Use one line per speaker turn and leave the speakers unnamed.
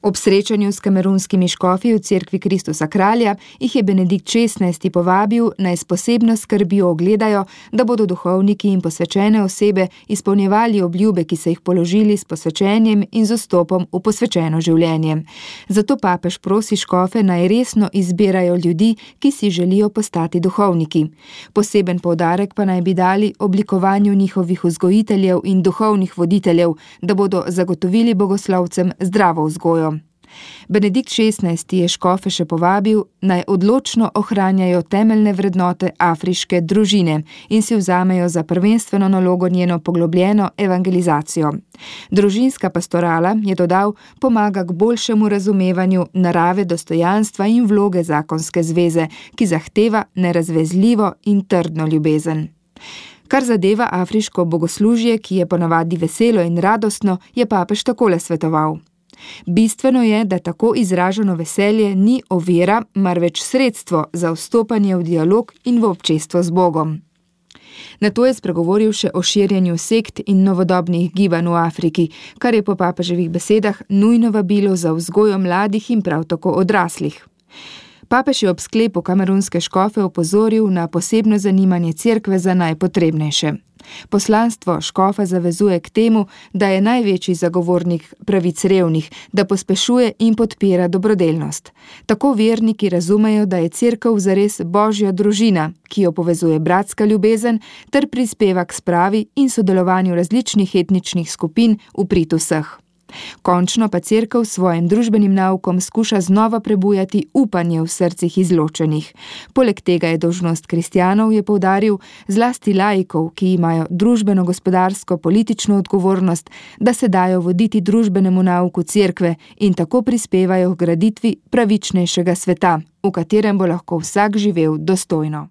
Ob srečanju s kamerunskimi škofi v cerkvi Kristusa kralja jih je Benedikt XVI. Povabil, naj s posebno skrbjo ogledajo, da bodo duhovniki in posvečene osebe izpolnjevali obljube, ki so jih položili s posvečenjem in z vstopom v posvečeno življenje. Zato papež prosi škofe, naj resno izbirajo ljudi, ki si želijo postati duhovniki. Poseben poudarek pa naj bi dali oblikovanju njihovih vzgojiteljev in duhovnih voditeljev, da bodo zagotovili bogoslovcem zdravo vzgojo. Benedikt XVI. Je škofe še povabil, naj odločno ohranjajo temeljne vrednote afriške družine in si vzamejo za prvenstveno nalogo njeno poglobljeno evangelizacijo. Družinska pastorala, je dodal, pomaga k boljšemu razumevanju narave dostojanstva in vloge zakonske zveze, ki zahteva nerazvezljivo in trdno ljubezen. Kar zadeva afriško bogoslužje, ki je ponavadi veselo in radostno, je papež takole svetoval. Bistveno je, da tako izraženo veselje ni ovira, marveč sredstvo za vstopanje v dialog in v občestvo z Bogom. Nato je spregovoril še o širjenju sekt in novodobnih gibanj v Afriki, kar je po papeževih besedah nujno vabilo za vzgojo mladih in prav tako odraslih. Papež je ob sklepu kamerunske škofe opozoril na posebno zanimanje cerkve za najpotrebnejše. Poslanstvo škofa zavezuje k temu, da je največji zagovornik pravic revnih, da pospešuje in podpira dobrodelnost. Tako verniki razumejo, da je cerkev zares božja družina, ki jo povezuje bratska ljubezen ter prispeva k spravi in sodelovanju različnih etničnih skupin v prid vseh. Končno pa cerkev s svojim družbenim naukom skuša znova prebujati upanje v srcih izločenih. Poleg tega je dolžnost kristjanov, je poudaril, zlasti laikov, ki imajo družbeno-gospodarsko politično odgovornost, da se dajo voditi družbenemu nauku cerkve in tako prispevajo k graditvi pravičnejšega sveta, v katerem bo lahko vsak živel dostojno.